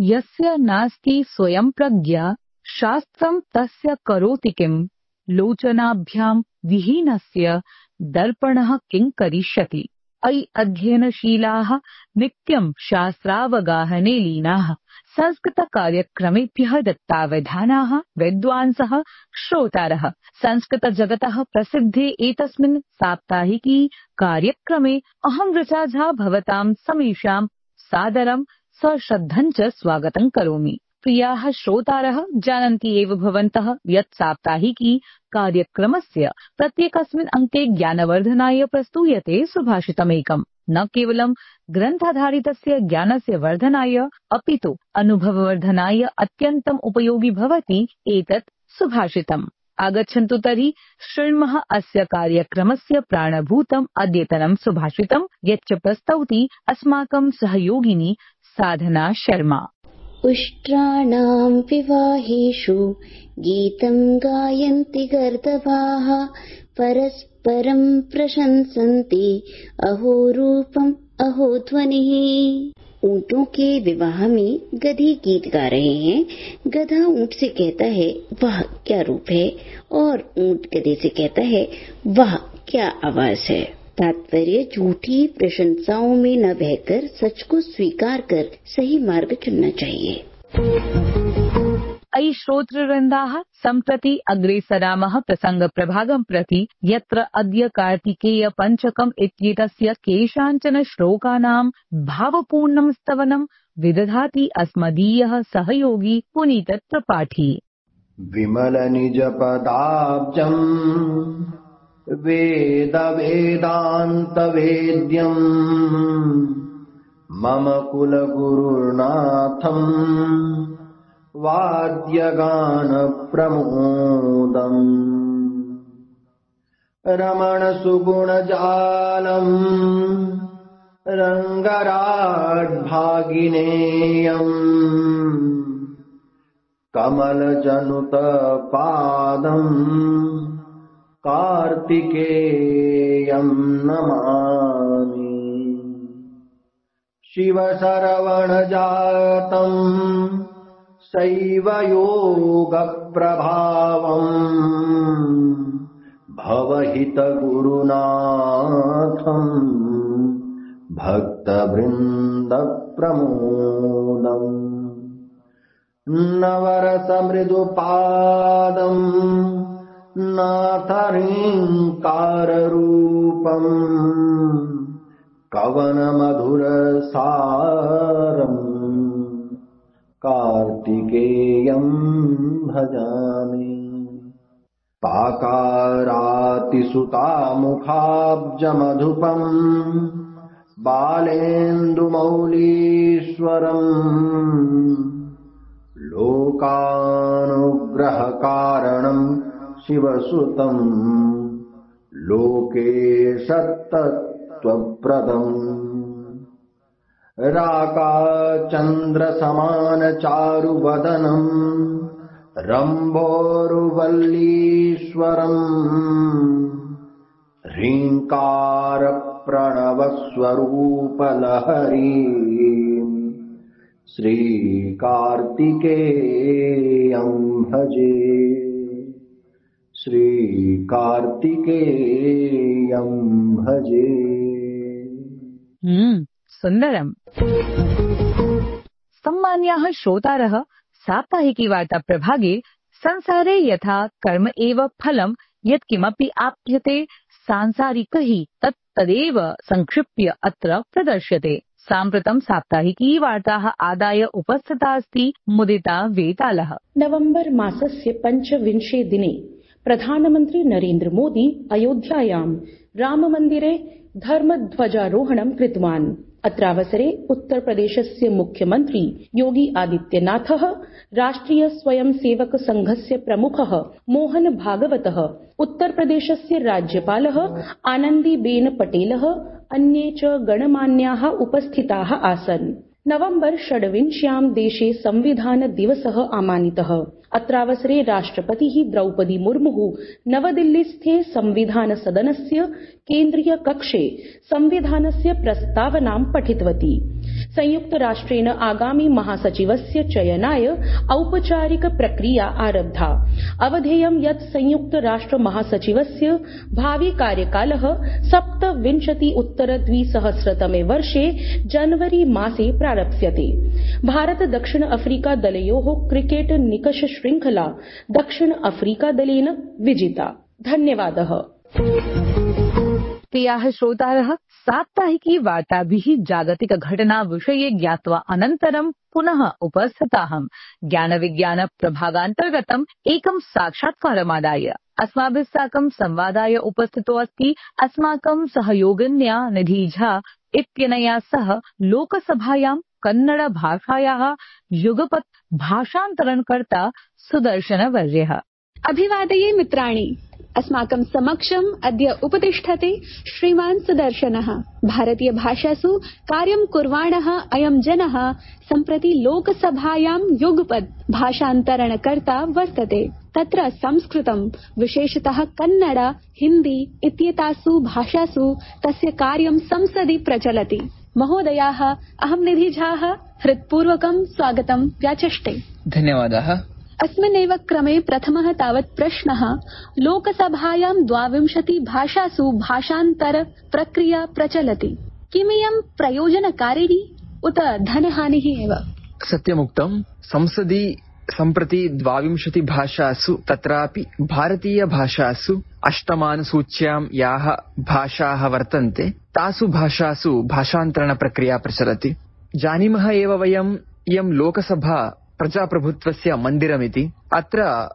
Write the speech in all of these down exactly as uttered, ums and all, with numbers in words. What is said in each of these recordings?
यस्य नास्ति स्वयं प्रज्ञा शास्त्रं तस्य करोति किम् लोचनाभ्यां विहीनस्य दर्पणः किं करिष्यति। अयि अध्ययनशीलाः नित्यं शास्त्रावगाहने लीनाः संस्कृतकार्यक्रमेभ्यः दत्तावधानाः विद्वांसः श्रोतारः संस्कृतजगतः प्रसिद्धे एतस्मिन् साप्ताहिकी कार्यक्रमे अहं ऋचा झा भवतां समेषां सादरं सश्रद्धं च स्वागतं करोमि। प्रियाः श्रोतारः जानन्ति एव भवन्तः यत् साप्ताहिकी कार्यक्रमस्य प्रत्येकस्मिन् अंके ज्ञानवर्धनाय प्रस्तूयते सुभाषितमेकम्। न केवलं ग्रन्थाधारितस्य ज्ञानस्य वर्धनाय अपितु अनुभववर्धनाय अत्यन्तम् उपयोगि भवति एतत् सुभाषितम्। आगच्छन्तु तर्हि शृण्मः अस्य कार्यक्रमस्य प्राणभूतम् अद्यतनं सुभाषितम् यच्च प्रस्तौति अस्माकं सहयोगिनी साधना शर्मा। उष्ट्राणां विवाहेषु गीतं गायन्ति गर्दभाः परस्परं प्रशंसन्ति अहो रूपम् अहो ध्वनिः। ऊँटों के विवाह में गधी गीत गा रहे हैं। गधा ऊँट से कहता है वाह क्या रूप है, और ऊँट गधे से कहता है वाह क्या आवाज है। तात्पर्य झूठी प्रशंसाओं में न बहकर सच को स्वीकार कर सही मार्ग चुनना चाहिए। अयि श्रोतृवृन्दाः सम्प्रति अग्रेसरामः प्रसङ्गप्रभागं प्रति यत्र अद्य कार्तिकेय पञ्चकम् इत्येतस्य केषाञ्चन श्लोकानां भावपूर्णं स्तवनं विदधाति अस्मदीयः सहयोगी पुनीत त्रिपाठी। विमल निज पदाब्जम् वेद वेदान्त वेद्यम् मम कुल गुरुनाथम् वाद्यगान प्रमोदम् रमण सुगुण जालम् रंगराट भागिनेयम् कमल जनुत पादम् कार्तिकेयं नमामि। शिव सरवण जातम् सैव योग प्रभावम् भवहित गुरुनाथम् भक्त वृंद प्रमोदम् नवरस मृदु पादम् नाथरिंकार रूपम् कवन मधुर सारम् कार्तिकेयं भजामि। पाकारातिसुतामुखाब्ज मधुपम् बालेन्दुमौलीश्वरम् लोकानुग्रह कारणम् शिवसुतम् लोकेशतत्त्वप्रदम् राकाचन्द्र समान चारुवदनम् रम्भोरुवल्लीश्वरम् ह्रीङ्कार प्रणवस्वरूपलहरी श्रीकार्तिकेयं भजे श्रीकार्तिकेयं भजे। हम्म सुन्दरम्। सम्मान्याः श्रोतारः साप्ताहिकी वार्ता प्रभागे संसारे यथा कर्म एव फलम् यत्किमपि आप्यते सांसारिकैः तत् तदेव संक्षिप्य अत्र प्रदर्श्यते। साम्प्रतं साप्ताहिकी वार्ताः आदाय उपस्थिता अस्ति मुदिता वेतालः। नवम्बर मासस्य पञ्चविंशे दिने प्रधानमन्त्री नरेन्द्र मोदी अयोध्यायां राममन्दिरे धर्मध्वजारोहणं कृतवान्। अत्रावसरे उत्तर प्रदेशस्य मुख्यमन्त्री योगी आदित्यनाथः, राष्ट्रिय स्वयंसेवक संघस्य प्रमुखः मोहन भागवतः, उत्तर प्रदेशस्य राज्यपालः आनन्दीबेन पटेलः, अन्ये च गणमान्याः उपस्थिताः आसन्। नवम्बर षड्विंश्यां देशे संविधान दिवसः आमानितः। अत्रावसरे राष्ट्रपतिः द्रौपदी मुर्मुः नवदिल्लीस्थे संविधान सदनस्य केन्द्रीय कक्षे संविधानस्य प्रस्तावनां पठितवती। संयुक्त राष्ट्रेण आगामी महासचिवस्य चयनाय औपचारिक प्रक्रिया आरब्धा। अवधेयं यत् संयुक्त राष्ट्र महासचिवस्य भावी कार्यकालः सप्तविंशति उत्तर द्विसहस्रतमे वर्षे जनवरी मासे प्रारप्स्यते। भारत दक्षिण अफ्रीका दलयोः क्रिकेट निकष श्रृंखला दक्षिण अफ्रीका दलेन विजिता। धन्यवादः। प्रियाः श्रोतारः, साप्ताहिकी वार्ताभिः जागतिक घटना विषये ज्ञात्वा अनन्तरं पुनः उपस्थिताहं ज्ञानविज्ञान प्रभागान्तर्गतम् एकं साक्षात्कारमादाय। अस्माभिः साकं संवादाय उपस्थितो अस्ति अस्माकं सहयोगिन्या निधि झा इत्यनया सह लोकसभायां कन्नड भाषायाः युगपत् भाषान्तरणकर्ता सुदर्शनवर्यः। अभिवादये मित्राणि। अस्माकं समक्षम् अद्य उपतिष्ठते श्रीमान् सुदर्शनः। भारतीय भाषासु कार्यं कुर्वाणः अयं जनः सम्प्रति लोकसभायां युगपत् भाषान्तरणकर्ता वर्तते। तत्र संस्कृतं विशेषतः कन्नड, हिन्दी इत्येतासु भाषासु तस्य कार्यं संसदि प्रचलति। महोदयाः, अहं निधि झाः हृत्पूर्वकं स्वागतं व्याचष्टे। धन्यवादः। अस्मिन्नेव क्रमे प्रथमः तावत् प्रश्नः, लोकसभायां द्वाविंशति भाषासु भाषान्तर प्रक्रिया प्रचलति। किमियं प्रयोजनकारिणी उत धनहानिः एव? सत्यमुक्तं। संसदि सम्प्रति द्वाविंशति भाषासु तत्रापि भारतीय भाषासु अष्टमानुसूच्यां याः भाषाः वर्तन्ते तासु भाषासु भाषान्तरण प्रक्रिया प्रचलति। जानीमः एव वयम् इयं लोकसभा प्रजाप्रभुत्वस्य मन्दिरमिति। अत्र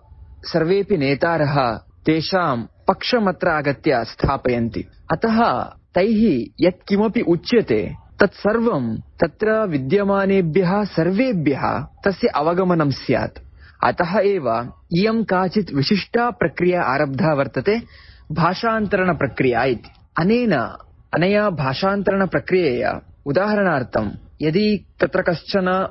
सर्वेपि नेतारः तेषां पक्षमत्र आगत्य स्थापयन्ति। अतः तैः यत् किमपि उच्यते तत्सर्वं तत्र विद्यमानेभ्यः सर्वेभ्यः तस्य अवगमनं स्यात्। अतः एव इयं काचित् विशिष्टा प्रक्रिया आरब्धा वर्तते, भाषान्तरण प्रक्रिया इति। अनेन अनया भाषान्तरण प्रक्रियया उदाहरणार्थं यदि तत्र कश्चन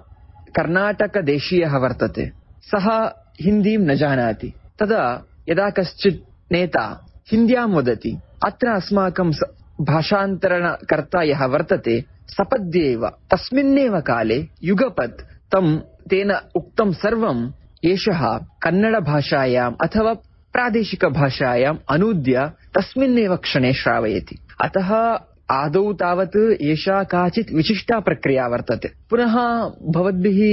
कर्णाटकदेशीयः वर्तते, सः हिन्दीं न जानाति, तदा यदा कश्चित् नेता हिन्द्यां वदति, अत्र अस्माकं भाषान्तरणकर्ता यः वर्तते सपद्येव तस्मिन्नेव काले युगपत् तं तेन उक्तं सर्वं एषः कन्नडभाषायाम् अथवा प्रादेशिकभाषायाम् अनूद्य तस्मिन्नेव क्षणे श्रावयति। अतः आदौ तावत् एषा काचित् विशिष्टा प्रक्रिया वर्तते। पुनः भवद्भिः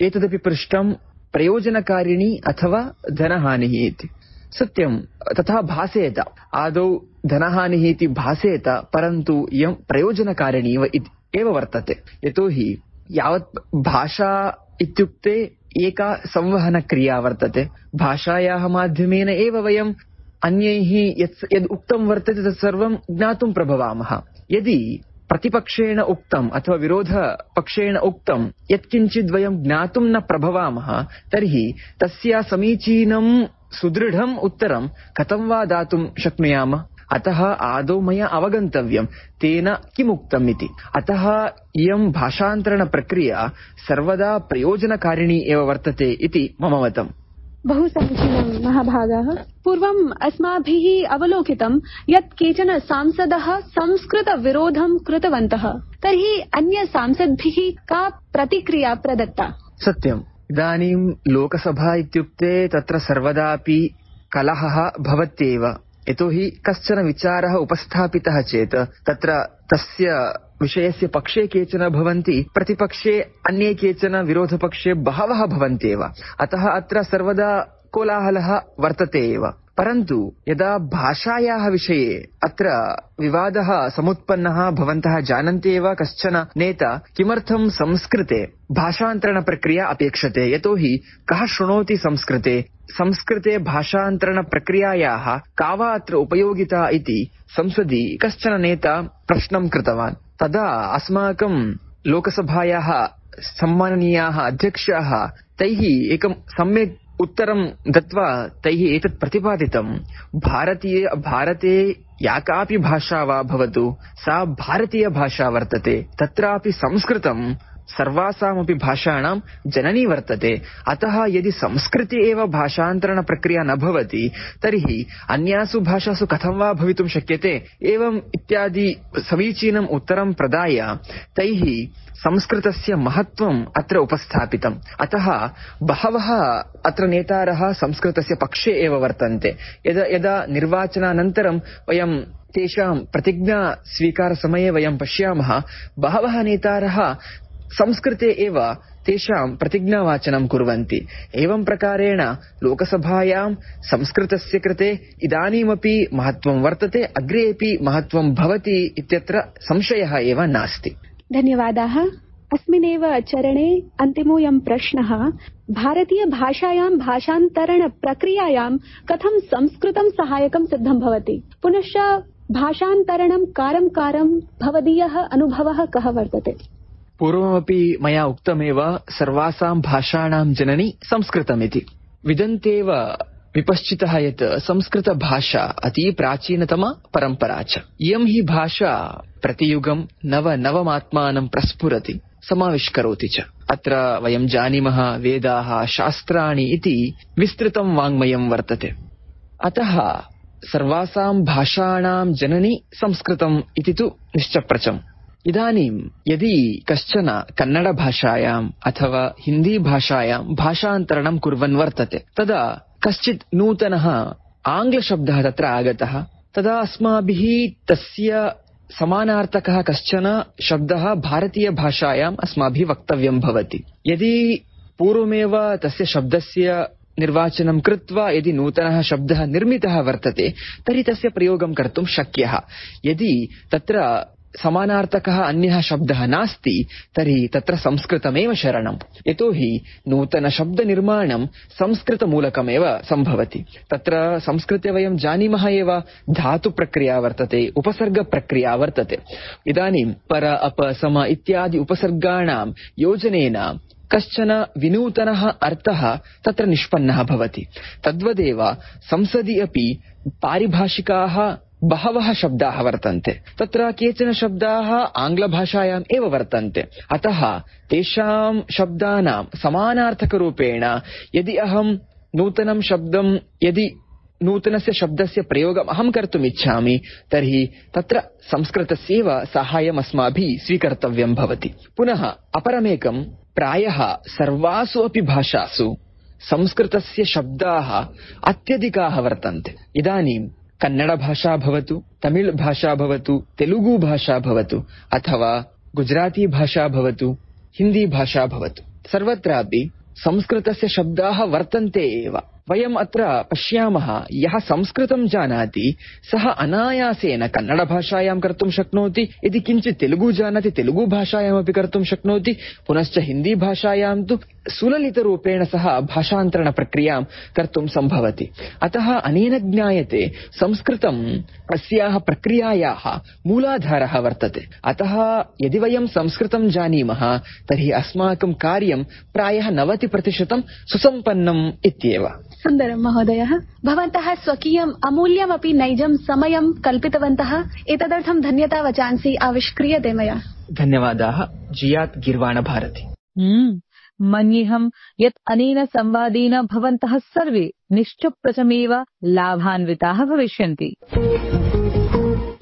एतदपि पृष्टं प्रयोजनकारिणी अथवा धनहानिः इति। सत्यं तथा भासेत, आदौ धनहानिः इति भासेत, परन्तु इयं प्रयोजनकारिणी एव वर्तते। यतोहि यावत् भाषा इत्युक्ते एका संवहनक्रिया वर्तते। भाषायाः माध्यमेन एव वयम् अन्यैः यत् यद् उक्तं वर्तते तत्सर्वं ज्ञातुं प्रभवामः। यदि प्रतिपक्षेण उक्तम् अथवा विरोधपक्षेण उक्तं यत्किञ्चित् वयं ज्ञातुं न प्रभवामः तर्हि तस्य समीचीनं सुदृढम् उत्तरं कथं वा दातुं शक्नुयामः। अतः आदौ मया अवगन्तव्यं तेन किमुक्तम् इति। अतः इयं भाषान्तरणप्रक्रिया सर्वदा प्रयोजनकारिणी एव वर्तते इति मम मतम्। बहु समीचीनं महाभागाः। पूर्वम् अस्माभिः अवलोकितं यत् केचन सांसदः संस्कृतविरोधं कृतवन्तः, तर्हि अन्य सांसद्भिः का प्रतिक्रिया प्रदत्ता? सत्यम्। इदानीं लोकसभा इत्युक्ते तत्र सर्वदापि कलहः भवत्येव। यतोहि कश्चन विचारः उपस्थापितः चेत् तत्र तस्य विषयस्य पक्षे केचन भवन्ति, प्रतिपक्षे अन्ये केचन, विरोधपक्षे बहवः भवन्त्येव। अतः अत्र सर्वदा कोलाहलः वर्तते एव। परन्तु यदा भाषायाः विषये अत्र विवादः समुत्पन्नः, भवन्तः जानन्ति एव कश्चन नेता किमर्थं संस्कृते भाषान्तरणप्रक्रिया अपेक्षते, यतोहि कः शृणोति संस्कृते, संस्कृते भाषान्तरणप्रक्रियायाः का वा अत्र उपयोगिता इति संसदि कश्चन नेता प्रश्नं कृतवान्। तदा अस्माकं लोकसभायाः सम्माननीयाः अध्यक्षाः तैः एकं सम्यक् उत्तरं दत्वा तैः एतत् प्रतिपादितं, भारतीय भारते या कापि भाषा वा भवतु सा भारतीय भाषा वर्तते, तत्रापि संस्कृतं सर्वासामपि भाषाणां जननी वर्तते। अतः यदि संस्कृते एव भाषान्तरणप्रक्रिया न भवति तर्हि अन्यासु भाषासु कथं वा भवितुं शक्यते? एवम् इत्यादि समीचीनम् उत्तरं प्रदाय तैः संस्कृतस्य महत्त्वम् अत्र उपस्थापितम्। अतः बहवः अत्र नेतारः संस्कृतस्य पक्षे एव वर्तन्ते। यदा यदा निर्वाचनानन्तरं वयं तेषां प्रतिज्ञा स्वीकारसमये वयं पश्यामः, बहवः नेतारः संस्कृते एव तेषां प्रतिज्ञावाचनं कुर्वन्ति। एवं प्रकारेण लोकसभायां संस्कृतस्य कृते इदानीमपि महत्त्वं वर्तते, अग्रेपि महत्त्वं भवति इत्यत्र संशयः एव नास्ति। धन्यवादाः। अस्मिन्नेव चरणे अन्तिमोऽयं प्रश्नः, भारतीयभाषायां भाषान्तरणप्रक्रियायां कथं संस्कृतं सहायकं सिद्धं भवति? पुनश्च भाषान्तरणं कारं कारं भवदीयः अनुभवः कः वर्तते? पूर्वमपि मया उक्तमेव, सर्वासां भाषाणां जननी संस्कृतमिति। विदन्तेव विपश्चितः यत् संस्कृतभाषा अति प्राचीनतमा परम्परा च। इयं हि भाषा प्रतियुगं नव नवमात्मानं प्रस्फुरति, समाविष्करोति च। अत्र वयं जानीमः वेदाः, शास्त्राणि इति विस्तृतं वाङ्मयं वर्तते। अतः सर्वासां भाषाणां जननी संस्कृतम् इति तु निश्चप्रचम्। इदानीं यदि कश्चन कन्नडभाषायाम् अथवा हिन्दीभाषायां भाषान्तरणं कुर्वन् वर्तते, तदा कश्चित् नूतनः आङ्ग्लशब्दः तत्र आगतः, तदा अस्माभिः तस्य समानार्थकः कश्चन शब्दः भारतीयभाषायाम् अस्माभिः वक्तव्यं भवति। यदि पूर्वमेव तस्य शब्दस्य निर्वाचनं कृत्वा यदि नूतनः शब्दः निर्मितः वर्तते तर्हि तस्य प्रयोगं कर्तुं शक्यः। यदि तत्र समानार्थकः अन्यः शब्दः नास्ति तर्हि तत्र संस्कृतमेव शरणम्। यतोहि नूतनशब्दनिर्माणं संस्कृतमूलकमेव सम्भवति। तत्र संस्कृते वयं जानीमः एव धातुप्रक्रिया वर्तते, उपसर्गप्रक्रिया वर्तते। इदानीं पर, अप, सम इत्यादि उपसर्गाणां योजनेन कश्चन विनूतनः अर्थः तत्र निष्पन्नः भवति। तद्वदेव संसदि अपि पारिभाषिकाः बहवः शब्दाः वर्तन्ते। तत्र केचन शब्दाः आङ्ग्लभाषायाम् एव वर्तन्ते। अतः तेषां शब्दानां समानार्थकरूपेण यदि अहं नूतनं शब्दं यदि नूतनस्य शब्दस्य प्रयोगम् अहं कर्तुम् इच्छामि तर्हि तत्र संस्कृतस्यैव साहाय्यम् अस्माभिः स्वीकर्तव्यं भवति। पुनः अपरमेकं, प्रायः सर्वासु अपि भाषासु संस्कृतस्य शब्दाः अत्यधिकाः वर्तन्ते। इदानीं कन्नडभाषा भवतु, तमिळ् भाषा भवतु, तेलुगु भाषा भवतु अथवा गुजराती भाषा भवतु, हिन्दी भाषा भवतु, सर्वत्रापि संस्कृतस्य शब्दाः वर्तन्ते एव। वयम् अत्र पश्यामः, यः संस्कृतं जानाति सः अनायासेन कन्नडभाषायां कर्तुं शक्नोति, यदि किञ्चित् तेलुगु जानाति तेलुगु भाषायामपि कर्तुं शक्नोति, पुनश्च हिन्दी भाषायां तु सुललितरूपेण सह भाषान्तरणप्रक्रियां कर्तुं सम्भवति। अतः अनेन ज्ञायते संस्कृतं अस्याः प्रक्रियायाः मूलाधारः वर्तते। अतः यदि वयं संस्कृतं जानीमः तर्हि अस्माकं कार्यं प्रायः नवतिप्रतिशतं सुसम्पन्नम् इत्येव। सुन्दरं महोदयः, भवन्तः स्वकीयम् अमूल्यमपि नैजं समयं कल्पितवन्तः। एतदर्थं धन्यता वचांसि आविष्क्रियते मया। धन्यवादाः। जियात् गिर्वाण भारती। मन्येऽहं यत् अनेन संवादेन भवन्तः सर्वे निश्चप्रचमेव लाभान्विताः भविष्यन्ति।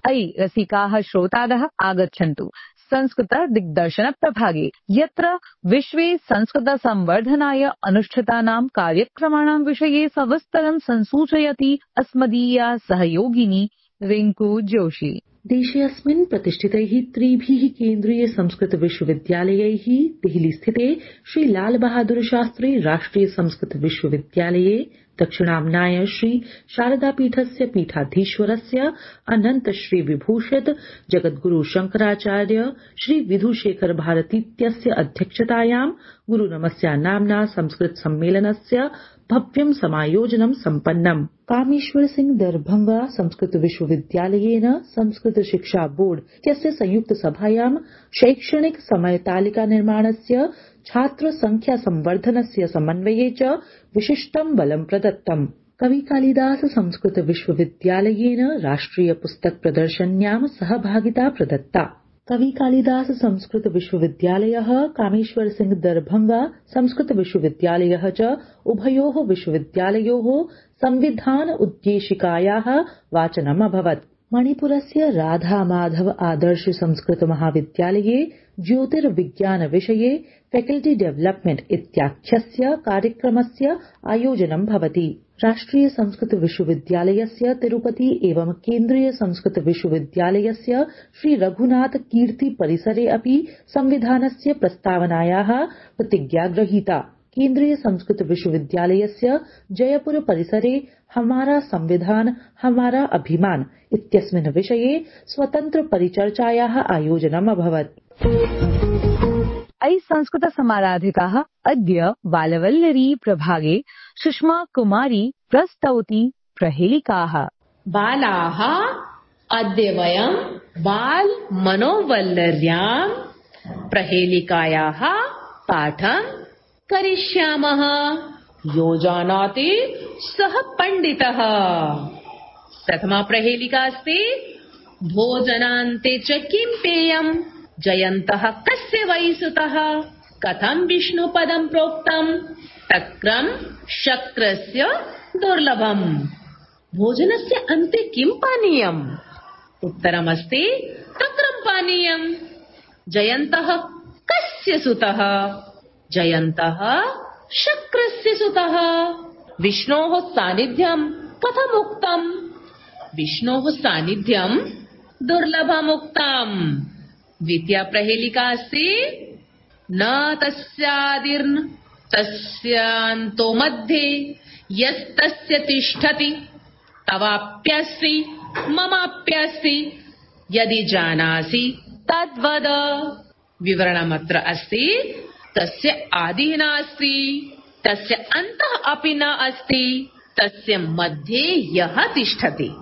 अयि रसिकाः श्रोतारः, आगच्छन्तु संस्कृत दिग्दर्शन प्रभागे, यत्र विश्वे संस्कृत संवर्धनाय अनुष्ठितानां कार्यक्रमाणां विषये सविस्तरं संसूचयति अस्मदीया सहयोगिनी रिंकू जोशी। देशेऽस्मिन् प्रतिष्ठितैः त्रिभिः केन्द्रीय संस्कृत विश्वविद्यालयैः देहलीस्थिते श्री लाल बहादुर शास्त्री राष्ट्रिय संस्कृत विश्वविद्यालये, दक्षिणाम्नाय श्री शारदापीठस्य पीठाधीश्वरस्य अनन्त श्री विभूषित जगद्गुरु शंकराचार्य श्री विधुशेखर भारतीत्यस्य अध्यक्षतायां गुरुनमस्या नाम्ना संस्कृत सम्मेलनस्य भव्यं समायोजनं सम्पन्नम्। कामेश्वर सिंह दरभंगा संस्कृत विश्वविद्यालयेन संस्कृत शिक्षा बोर्ड इत्यस्य संयुक्त सभायां शैक्षणिक समयतालिका निर्माणस्य, छात्र संख्या संवर्धनस्य समन्वये च विशिष्टं बलं प्रदत्तम्। कवि कालिदास संस्कृत विश्वविद्यालयेन राष्ट्रिय पुस्तक प्रदर्शन्यां सहभागिता प्रदत्ता। कवि कालिदास संस्कृत विश्वविद्यालयः, कामेश्वर सिंह दरभंगा संस्कृत विश्वविद्यालयः च उभयोः विश्वविद्यालयोः संविधान उद्देशिकायाः वाचनम् अभवत्। मणिपुरस्य राधा माधव आदर्श संस्कृत महाविद्यालये ज्योतिर्विज्ञान विषये फैकल्टी डेवलपमेंट इत्याख्यस्य कार्यक्रमस्य आयोजनं भवति। राष्ट्रिय संस्कृत विश्वविद्यालयस्य तिरुपति एवं केन्द्रीय संस्कृत विश्वविद्यालयस्य श्री रघुनाथ कीर्ति परिसरे अपि संविधानस्य प्रस्तावनायाः प्रतिज्ञा गृहीता। केन्द्रीय संस्कृत विश्वविद्यालयस्य जयपुर परिसरे हमारा संविधान हमारा अभिमान इत्यस्मिन् विषये स्वतन्त्र परिचर्चायाः आयोजनम् अभवत्। अयि संस्कृत समाराधिकाः अद्य बालवल्लरी प्रभागे सुषमा कुमारी प्रस्तौति प्रहेलिकाः। बालाः, अद्य वयं बाल मनोवल्लर्यां प्रहेलिकायाः पाठं करिष्यामः। यो जानाति सः पण्डितः। प्रथमा प्रहेलिका अस्ति भोजनान्ते च किं पेयम्, जयन्तः कस्य वै सुतः, कथं विष्णुपदं प्रोक्तम्, तक्रं शक्रस्य दुर्लभम्, भोजनस्य अन्ते किं पानीयम्, उत्तरमस्ति तक्रं पानीयम्, जयन्तः कस्य सुतः, जयन्तः शक्रस्य सुतः, विष्णोः सान्निध्यं कथम् उक्तम्, विष्णोः सान्निध्यं दुर्लभमुक्तम्। द्वितीया प्रहेलिका अस्ति न तस्यादिर्न तस्यान्तो मध्ये यस्तस्य तिष्ठति तवाप्यस्ति ममाप्यस्ति यदि जानासि तद्वद। विवरणमत्र अस्ति तस्य आदिः नास्ति, तस्य अन्तः अपि न अस्ति, तस्य मध्ये यः तिष्ठति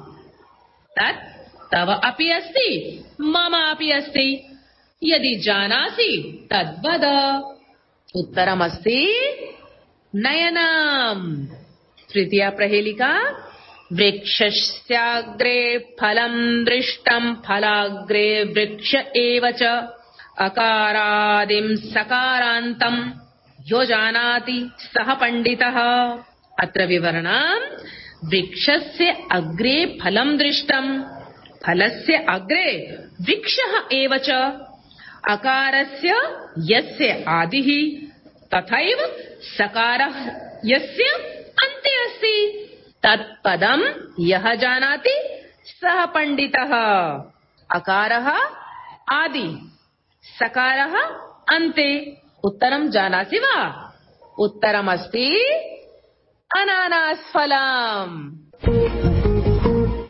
तत् तव अपि अस्ति मम अपि अस्ति, यदि जानासि तद्वद। उत्तरमस्ति नयनम्। तृतीया प्रहेलिका वृक्षस्याग्रे फलं दृष्टं फलाग्रे वृक्ष एव च, अकारादिं सकारान्तं यो जानाति सः पण्डितः। अत्र विवरणम् वृक्षस्य अग्रे फलं दृष्टं, फलस्य अग्रे वृक्षः एव च, अकारस्य यस्य आदिः तथैव सकारः यस्य अन्ते अस्ति, तत्पदं यः जानाति सः पण्डितः। अकारः आदि, सकारः अन्ते, उत्तरं जानासि वा? उत्तरमस्ति अनानासफलम्।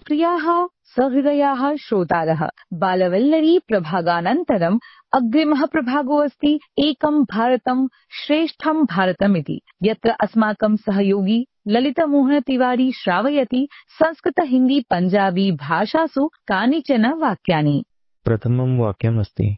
प्रियाः सहृदयाः श्रोतारः, बालवल्लरी प्रभागानन्तरम् अग्रिमः प्रभागो अस्ति एकं भारतं श्रेष्ठं भारतमिति, यत्र अस्माकं सहयोगी ललितमोहन तिवारी श्रावयति संस्कृत हिन्दी पञ्जाबी भाषासु कानिचन वाक्यानि। प्रथमं वाक्यमस्ति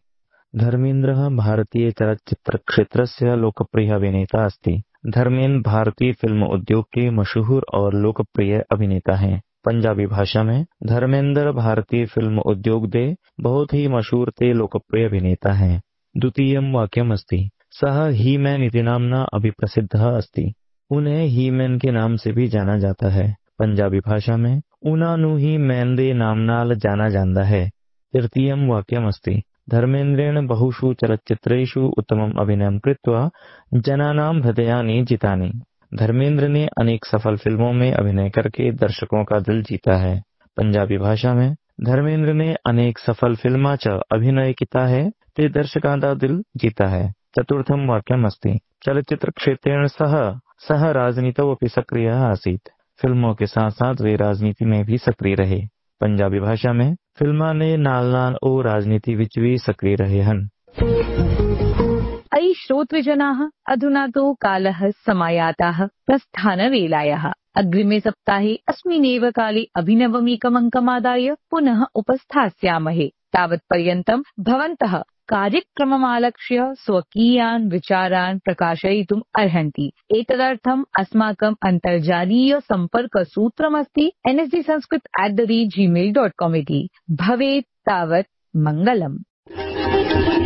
धर्मेन्द्रः भारतीय चलच्चित्र क्षेत्रस्य लोकप्रिय अभिनेता अस्ति। धर्मेन्द्र भारतीय फिल्म उद्योग के मशहूर और लोकप्रिय अभिनेता हैं। पंजाबी भाषा में धर्मेन्द्र भारतीय फिल्म उद्योग दे बहुत ही मशहूर ते लोकप्रिय अभिनेता हैं। द्वितीयं वाक्यमस्ति सः ही मैन इति नाम्ना अभिप्रसिद्धः अस्ति। उन्हें ही मैन के नाम से भी जाना जाता है। पंजाबी भाषा में उन्हां ही मैन दे नामनाल जाना जाता है। तृतीयं वाक्यमस्ति धर्मेन्द्रेण बहुषु चलच्चित्रेषु उत्तमम् अभिनयं कृत्वा जनानां हृदयानि जितानि। धर्मेन्द्र ने अनेक सफल फिल्मों में अभिनय करके दर्शकों का दिल जीता है। पंजाबी भाषा में धर्मेन्द्र ने अनेक सफल फिल्मां च अभिनय किया है ते दर्शकां दा दिल जीता है। चतुर्थं वाक्यमस्ति चलच्चित्र क्षेत्रेण सह सह राजनीतौ अपि सक्रियः आसीत्। फिल्मों के साथ साथ वे राजनीति में भी सक्रिय रहे। पंजाबी भाषा में फिल्मां ने नाल नाल ओ राजनीति विच भी सक्रिय रहे हन। अयि श्रोतृजनाः, अधुना तु कालः समायातः प्रस्थानवेलायाः। अग्रिमे सप्ताहे अस्मिन्नेव काले अभिनवमेकमङ्कमादाय पुनः उपस्थास्यामहे। तावत्पर्यन्तं भवन्तः कार्यक्रममालक्ष्य स्वकीयान् विचारान् प्रकाशयितुम् अर्हन्ति। एतदर्थम् अस्माकम् अन्तर्जालीय सम्पर्कसूत्रमस्ति N S D Sanskrit at the rate gmail dot com इति। भवेत् तावत् मङ्गलम्। Thank you.